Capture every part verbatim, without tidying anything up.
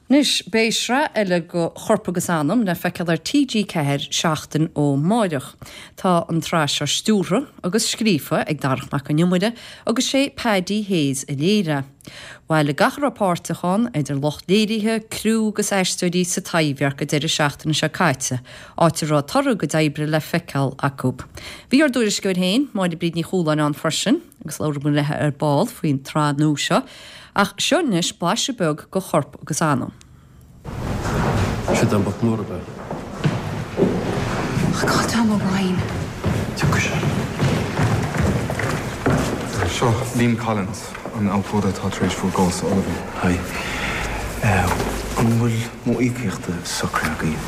Anois, beidh sraith eile de Chorp agus Anam le feiceáil ar T G ceathair seachtain ó mháireach. Tá an tsraith seo stiúrtha agus scríofa ag Darach Mac Con Iomaire agus sé Paddy Hayes a léirigh. Bhailigh gach a raibh páirteach ann, idir lucht léirithe, criú agus aisteoirí sa Taibhdhearc an deireadh seachtaine seo caite, áit a raibh toradh a gcuid oibre le feiceáil acu. Bhí ár dtuairisceoir féin, Máire Bríd Ní Chualáin, ann freisin, agus labhróidh muid léi ar ball faoin tsraith nua seo. Ach seo anois blaiseadh beag de Chorp agus Anam. Siad an boc mór be. Cá Tom O'Brien. Tiocfaidh sé. Seo Liam Collins, an abhcóide atá tar éis bhur gcás a ullmhú. Hi. An bhfuil m'íocaíocht socraithe agaibh?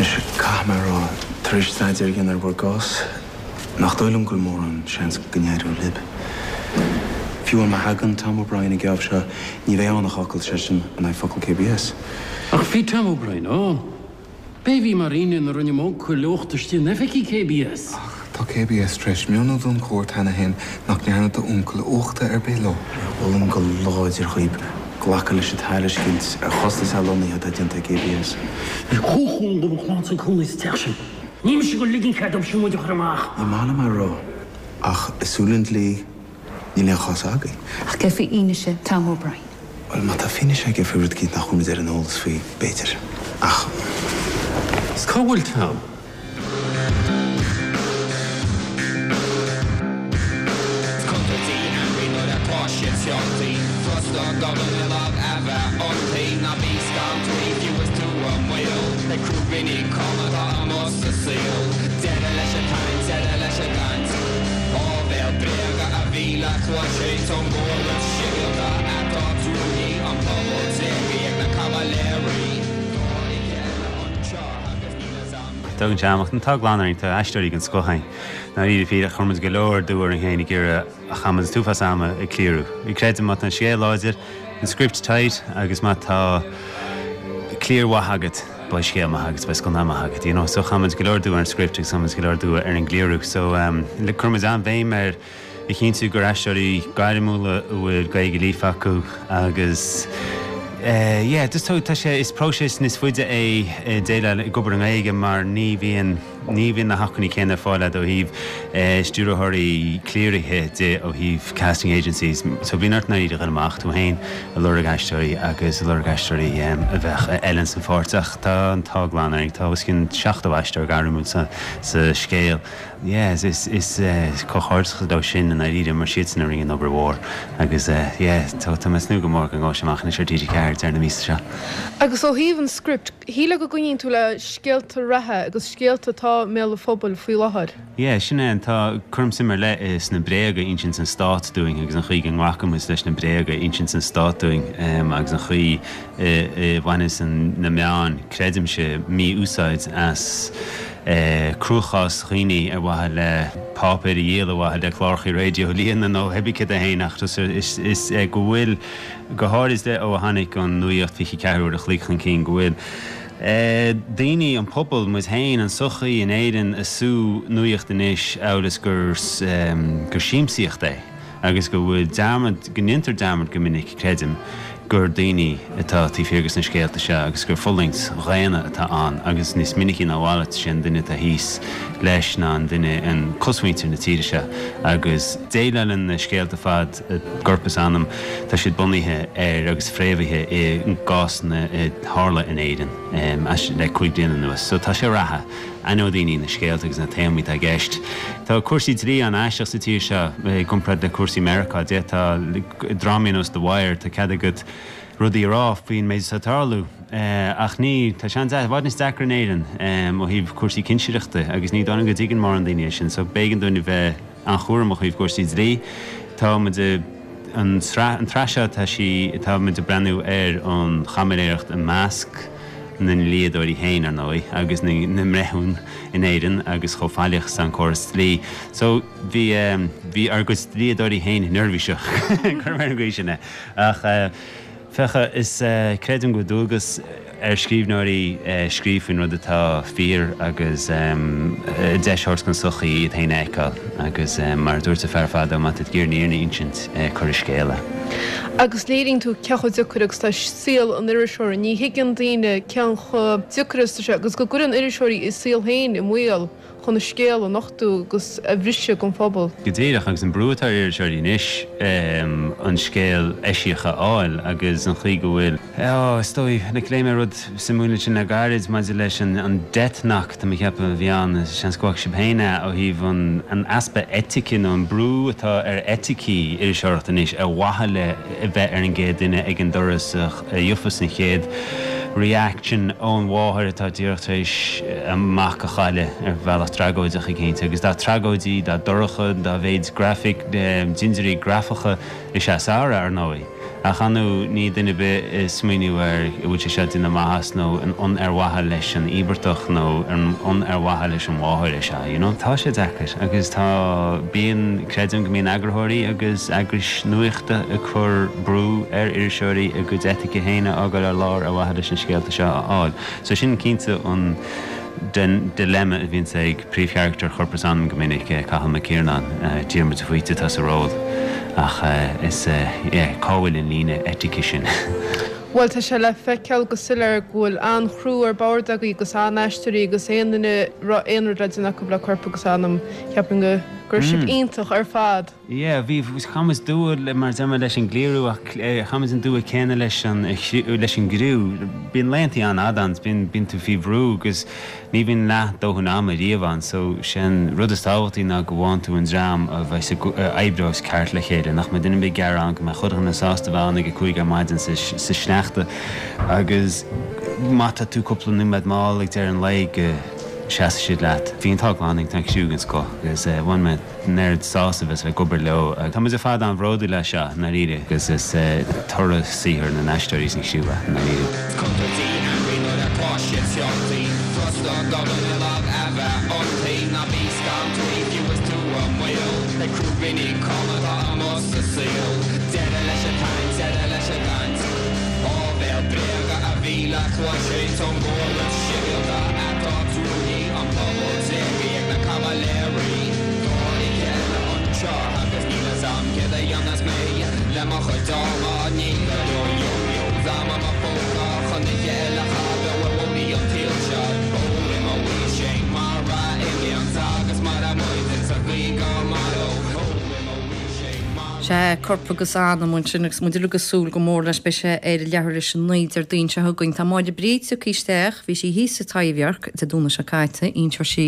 Anois, caithfidh mé a rá, tar éis staidéar a dhéanamh ar bhur gcás, nach dóigh liom go bhfuil mórán seans go n-éireoidh libh. Fiú má thagann Tom O'Brien ag geábh seo, ní bheidh ann ach focal seisean in aghaidh focal K B S. Ach bhí Tom O'Brien ann. B'é a bhí mar aoine nuair a rinne m'uncail uachtar istigh in oifigí K B S. Ach tá K B S tar éis mionnú don chúirt cheana féin nach ndearna d'uncail uachtar ar bith leo. Molaim go láidir dhaoib glacadh leis an tairiscint ar chostas athlonnaithe atá déanta ag K B S. Bhí comhchún do mo chlann san cónaí sa teach sin. Ní mise go ligean cead dóibh sin muid a chur amach. Ní maith liom é a rá, ach i súile an dlí níl aon chás againn. Ach cé faoi fhianaise Tom O'Brien? Bhuel, má tá fianaise aige faoi rud éicint nach bhfuil muid ar an eolas faoi, b'fhéidir. Ach. Is cá bhfuil Tom? Contúirtí ainmhí nuair atá siad fealltaí Frusta gobal lag a bheith iontaí. Ná bí scanraithe fiú is tú i mbaol. Beidh crúibíní cama atá amuigh sa saol. Deireadh leis an tsaint, deireadh leis an gcaint. Áibhéil bréaga a bhí le cloisint ón gcóras sibhialta atá truaillithe, an pobal tréigthe ag na caimiléirí. Tá oíche eile anseo agus níl fhios a'm. Tugann sé amach an tá glan ar tá aisteoirí den scoth againn. Ná fíor chuir muid go leor dua orainn féin ag iarraidh a chaith muid an t-uafás ama ag cliriú. Creidim má tá an scéal láidir, an script tight agus má tá cliar mhaith agat, beidh scéal maith agat, beidh scannán maith agat, you know. So chaith muid go leor dua ar an script agus chaith muid go leor dua ar an gcliarú. So um, le chuir muid an-bhéim ar a chinntiú gur aisteoirí gairmiúla a bhfuil Gaeilge líofa acu agus Uh, yeah, just tá sé is próiseas níos faide é déileáil ag obair i nGaeilge mar ní bhíonn ní bhíonn na hacmhainní céanna ar fáil ó thaobh uh, stiúrthóirí cliarithe de ó thaobh casting agencies. So bhíonn ort iad a amach tú féin ag lorg aisteoirí agus ag lorg aisteoirí um, a bheith eile san pháirteach. Tá an t-ádh glan ar tá os cionn seachtó aisteoir gairmiúil sa, sa scéal. Yes, is is uh, comhghairdeas dó sin an éirí mar siad san a rinne an obair mhór agus uh, yeah, tá tá mé ag tnúth go mór go ngabhfaidh amach ar T G ceathair deireadh na míosa seo. Agus ó thaobh an script, shíl go gcoinníonn tú le scéalta reatha agus scéalta atá i mbéal an phobail faoi láthair. Yeah, sin é an tá cuirim suim ar leith is na bréaga a insíonn an stát dúinn agus an chaoi go nglacann muid leis na bréaga a insíonn an stát dúinn um, agus an chaoi bhaineann an na meáin, creidimse, mí-úsáid as eh, cruachás dhaoine ar mhaithe le páipéir a dhíol, ar mhaithe le cláracha raidió líon nó hebí a héanacht is, is eh, go bhfuil go háirid ó tháinig an nuacht fiche ceathair uair a chloig chun cinn go bhfuil. Eh, daoine, an pobal, muid féin, an sochaí in Éirinn ag sú nuacht anois amhail is gur um, gur siamsaíocht é agus go bhfuil dearmad, go ndéantar dearmad go minic, creidim, gur daoine atá taobh thiar de na scéalta seo agus gur fulaingt dhaonna atá ann agus níos minicí ná a mhalairt sin duine atá thíos leis ná an duine an cosmhuintir na tíre seo agus déileálann na scéalta fad Corp is Anam, tá siad bunaithe ar agus fréamhaithe i gcásanna a tharla in Éirinn um, le cúig bliana anuas. So tá sé reatha aithneoidh daoine na scéalta agus na téamaí atá i gceist. Tá cúrsaí dlí an-aisteach sa tír seo i gcomparáid le cúrsaí Meiriceá, de tá drámaí ar nós The Wire, tá cead agat rudaí a rá faoin méid atá ag tarlú. Uh, ach ní tá sé i bhfad níos deacra in Éirinn um, ó thaobh cúrsaí cinsireachta agus ní dóigh go dtuigeann mórán daoine sin, so b'éigean dúinn bheith an-chúramach ó thaobh cúrsaí dlí. Tá an an tsraith seo tá sí tá muid ag breathnú ar an chaimiléireacht i measc na ndlíodóirí féin ar ndóigh agus na mbreithiúna in Éirinn agus chomh faillíoch is an córas dlí. So bhí um, bhí ár gcuid dlíodóirí féin neirbhíseach gur mar an gcaoi sin é. Ach uh, Fecha is uh, creidim go dualgas ar scríbhneoirí scríobh faoin rud atá fíor agus deis a thabhairt don tsochaí iad féin a fheiceáil agus mar a dúirt an fear fadó, má tá tú ag iarraidh an fhírinne a insint, cuir i scéal é. Agus léiríonn tú cé chomh deacair agus atá saol an iriseora. Ní thuigeann daoine cén chomh deacair is atá sé agus go gcuireann iriseoirí a saol féin i mbaol chun a scéal a nochtadh agus a bhriseadh don phobal. Go díreach, agus an brú atá ar iriseoirí anois an scéal eisiach a fháil agus an chaoi go bhfuil, ó, is dóigh, like, léigh mé rud suimiúil ansin le gairid maidir leis an an death knock, tá mé ag ceapadh a bhí ann, seans go bhfaca sibh féin é, ó thaobh an an easpa eitice nó an brú atá ar eiticí iriseoireachta anois ar mhaithe le a bheith ar an gcéad duine ag an doras a gheofas an chéad reaction ón mháthair atá díreach tar éis a mac a chailleadh ar bhealach tragóideach éicint. Agus dá tragóidí, dá dorcha, dá mhéid grafaic, dintiúirí grafacha is ea is fearr, ar ndóigh. Ach ar ndóigh níl duine ar bith ag smaoineamh ar an bhfuil sé seo ag déanamh maitheas nó an ar mhaithe leis an íobartach nó an ar mhaithe leis an mháthair é seo, you know. Tá sé deacair agus tá, bíonn, creidim go mbíonn eagarthóirí agus eagrais nuachta ag cur brú ar iriseoirí a gcuid eitice féin a fhágáil ar lár ar mhaithe leis na scéalta seo a fháil. So sin cinnte an den dilemma a bhíonns ag príomhcharachtar Chorp is Anam go minic, Cathal Mac Iarnáin, Diarmuid de Faoite atá sa ról, ach is yeah, cá bhfuil an líne eitice sin? Bhuel, tá sé le feiceáil go soiléir go bhfuil an-chriú ar bord agaibh agus an-aisteoirí agus aon duine a raibh aon rud le déanamh acu le Corp agus Anam, ceapaim go go raibh sibh iontach ar fad. Yeah, bhí, chaith muid dua, mar a deir mé, leis an gcliarú ach chaith muid an dua céanna leis an, leis an gcriú. Bíonn laethantaí an-fhada ann, bíonn, bíonn tú faoi bhrú agus ní bhíonn leath dóthain ama riamh ann so sé an rud is tábhachtaí ná go bhfaigheann tú an dream a bheas ag, a oibreos ceart le chéile, nach mbeidh duine ar bith ag gearán, go mbeidh chuile dhuine sásta bheith ann ag a cúig ar maidin sa, sa sneachta agus má tá tú cúpla nóiméad mall ag deireadh an lae go seasfaidh siad leat. Bhí an t-ádh glan ag an gcriú den scoth agus bhain mé an oiread sásaimh as bheith ag obair leo. Tá muid ar fad an-bhródúil as seo, i ndáiríre, agus is toradh saothair na n-aisteoirí san chriú é, i ndáiríre. Contúirtí ainmhí nuair atá siad feochtaí Frusta gobal i lámh a bheith iontaí Ná bí scantraí fiú is tú i mbaol Beidh crúibíní cam atá amuigh sa saol Deireadh leis an tsaint, deireadh leis an gcaint Áibhéil bréaga a bhí le cloisint ón gcóras sibhialta atá truaillithe An pobal tréigthe ag na caimiléirí Tá oíche eile anseo agus níl fhios a'm céard a dhéanfas mé le mo chuid ama Níl go leor yo-yos a'm i mo phóca chun oíche eile a chaitheamh ar bhóithrí an tsaoil seo Ó imeoidh sé mar a imíonn agus mairfidh muid insa gcaoi go maireadh Ó imeoidh sé mar Sea, Corp agus Anam ansin agus muid uilig ag súil go mór leis. Beidh sé ar leathuair tar éis a naoi Déardaoin seo chugainn. Tá Máire Bríd tagtha isteach, bhí sí thíos sa Taibhdhearc Dé Domhnaigh seo caite. Inseoidh sí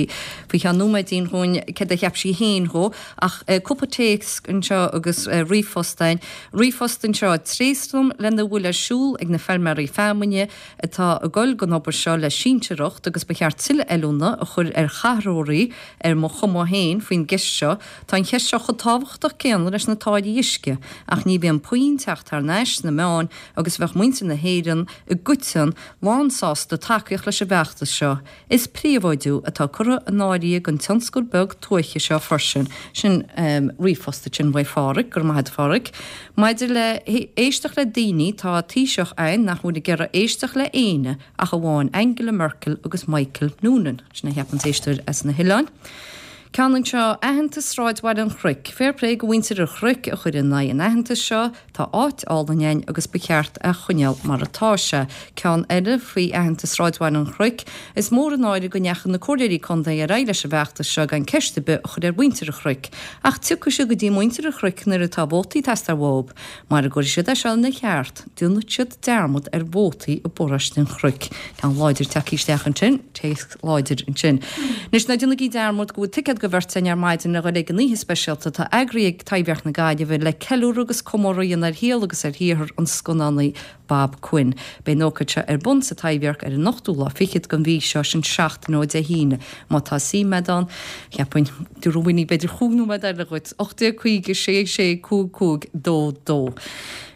faoi cheann nóiméidín dhúinn céard a cheap sí féin dhó. Ach cúpla téacs anseo agus ríomhphost againn. Ríomhphost anseo, Tréaslaim lena bhfuil ar siúl ag na feilméaraí feamainne atá ag dul don obair seo le sinsearacht agus ba cheart tuilleadh oiliúna a chur ar chathróirí ar mo chuma féin faoin gceist seo. Tá an cheist seo chomh tábhachtach céanna leis na táillí uisce, ach ní bhíonn puinn teacht thar n-ais sna meáin agus bheadh muintir na hÉireann i gcoiteann lán sásta tacaíocht leis an bhfeachtas seo. Is príobháidiú atá curtha in áirithe don tionscal beag tuaithe seo freisin. Sin ríomhphost ansin uaidh Pháraic, go raibh maith agat a Pháraic. Maidir le héisteacht le daoine, tá Taoiseach againn nach bhfuil ag iarraidh éisteacht le éinne ach amháin Angela Merkel agus Michael Noonan. Sin a cheap an t-éisteoir as na hoileáin. Ceann anseo, Aitheantas Sráidbhaile an Chnoic. Fair play go mhuintir an Chnoic a chuir in aghaidh an aitheantais seo, tá áit álainn againn agus ba cheart é a choinneáil mar atá sé. Ceann eile faoi aitheantas Sráidbhaile an Chnoic, is mór an náire go ndeachaigh na comhairleoirí contae ar aghaidh leis an bhfeachtas seo gan ceist ar bith a chur ar mhuintir an Chnoic. Ach tiocfaidh siad go dtí muintir an Chnoic nuair atá vótaí ag teastáil uathu. Mara gcuirfidh siad é seo ina cheart, déanfaidh siad dearmad ar vótaí i bparóiste an Chnoic. Ceann láidir tagtha isteach ansin, téacs láidir ansin. Anois ná déanaigí dearmad go bhfuil ticéad do bheirt againn ar maidin le dhul ag an oíche speisialta atá eagraithe ag Taibhdhearc na Gaillimhe le ceiliúradh agus comóradh a dhéanamh ar shaol agus ar shaothar an scannánaí Bob Quinn. Beidh an ócáid seo ar bun sa Taibhdhearc ar an ochtú lá fichead den mhí seo, sin seachtain ó Dé hAoine. Má tá suim agat ann, cheapfainn, tabharfainn b'fhéidir chúig nóiméad eile dhuit, ocht déag caoga sé sé cúig cúig dó dó.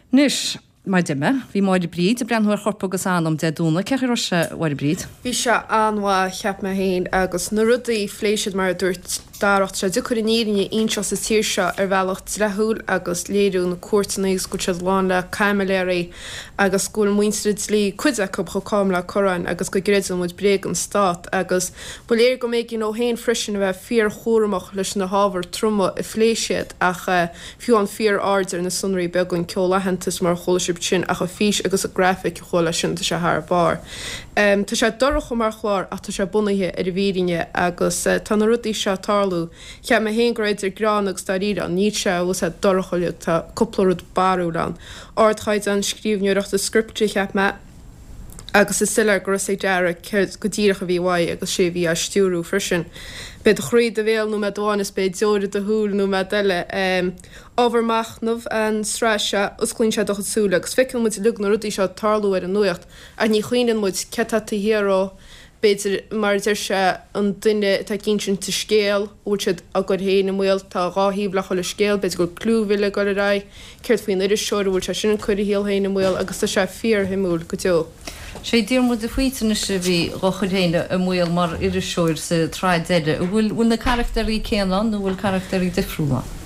Anois. Mar deir mé, bhí Máire Bríd ag breathnú ar Chorp agus Anam Dé Domhnaigh. Cén chaoi a raibh sé, a Mháire Bríd? Bhí sé an-mhaith, cheap mé féin, agus na rudaí a phléigh siad mar a dúirt Darach, tá sé deacair an fhírinne a inseacht sa tír seo ar bhealach dleathúil agus léiriú na cúirteanna agus go bhfuil siad lán le caimiléirí agus go bhfuil muintir an dlí, cuid acu, chomh cam le corrán agus go gcreideann muid bréag an stát agus ba léir go mb'éigean dó féin freisin a bheith fíorchúramach leis na hábhair troma a phléigh siad ach fiú an fíor-aird ar na sonraí beaga, an ceol aitheantais mar a chuala sibh sin ach an fís agus an grafaic a chuaigh leis sin, tá sé thar barr. Tá sé dorcha mar chlár ach tá sé bunaithe ar an bhfírinne agus tá na rudaí seo ag tarlú. Cheap mé féin go raibh idir greann agus dáiríre ann, níl sé bhfuil sé dorcha uilig, tá cúpla rud barrúil ann. Ardchaighdeán scríbhneoireachta scripte cheap mé agus is soiléir go raibh a fhios ag Darach céard go díreach a bhí uaidh agus sé a bhí á stiúrú freisin. Beidh do chroí i do bhéal nóiméad amháin is beidh deoir i do shúil nóiméad eile. Ábhar machnaimh an tsraith seo, osclaíonn sé do chuid súile agus feiceann muid uilig na rudaí seo ag tarlú ar an nuacht ach ní chuimhníonn muid céard atá taobh thiar dhó, b'fhéidir, mar a deir sé, an duine atá ag insint an scéil, an bhfuil siad á gcur féin i mbaol, tá dhá thaobh le chuile scéal, b'fhéidir go bhfuil clúmhilleadh ag dul ar aghaidh, céard faoin iriseoir, an bhfuil sé sin ag cur a shaol féin i mbaol agus tá sé fíorshuimiúil go deo. Sé Diarmuid de Faoite anois a bhí dhá chur féin i mbaol mar iriseoir sa tsraith deiridh. An bhfuil bhfuil na carachtéirí céanna ann nó an bhfuil carachtéirí difriúla ann?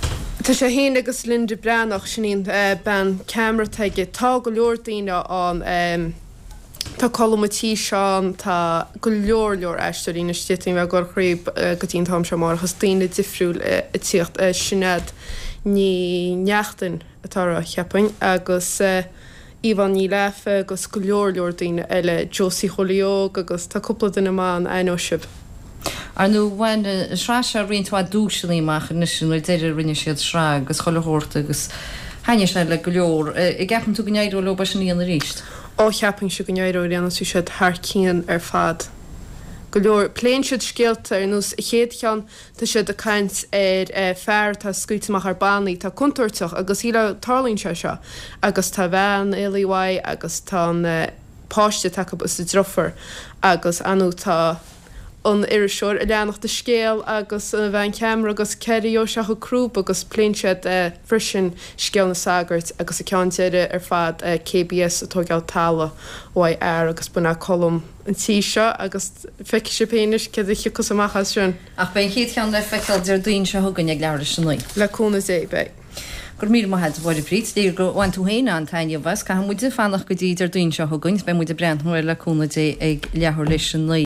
Tá sé féin agus Linda Breathnach, sin í an bean ceamara atá aige. Tá go leor daoine ann. Tá Colm an tí seo ann, tá go leor leor aisteoirí anois, d'fhéadfainn a bheith ag gabháil thríob go dtí an t-am seo amárach is daoine difriúil ag tíocht. Sinéad Ní Neachtain atá á rá, cheapfainn, agus. Yvonne Ní Lafa agus go leor leor daoine eile, Josie Chóilí Óg agus tá cúpla duine maith ann, aithneoidh sibh. Ar ndóigh, bhain an tsraith seo roinnt mhaith duaiseanna amach anois nuair deireadh a rinne siad sraith agus chuile shórt agus thaitnigh sé le go leor. An gceapann tú go n-éireoidh leo é sin a dhéanamh arís? Ó, cheapfainnse go n-éireoidh ar aon nós, bhí siad thar cionn ar fad. Go leor. Pléann siad scéalta ar nós an chéad cheann, Tá siad ag caint ar fear atá scaoilte amach ar bannaí, atá contúirteach agus shílfeá tarlaíonn sé seo agus tá a bhean éalaithe uaidh agus tá an páiste atá acu is a deirfiúr agus ar ndóigh tá an iriseoir ag leanacht an scéal agus an bhean cheamara agus cé air a gheobhaidh sé a chuid crúb agus pléann siad freisin scéal na sagart agus an ceann deiridh ar fad KBS ag tóigeáil talamh uaidh fhear agus b'in é Colm an tí seo agus feicfidh sibh féin anois céard a thiocfas amach as sin. Ach beidh an chéad cheann le feiceáil Déardaoin seo chugainn ag leathuair théis a naoi. Le cúnamh Dé, beidh. Go raibh míle maith agat, a Mháire Bríd. Is léir gur bhain tú féin an-taitneamh as. Caithfidh muide fanacht go dtí Déardaoin seo chugainn is beidh muid ag breathnú air le cúnamh Dé ag leathuair théis a naoi.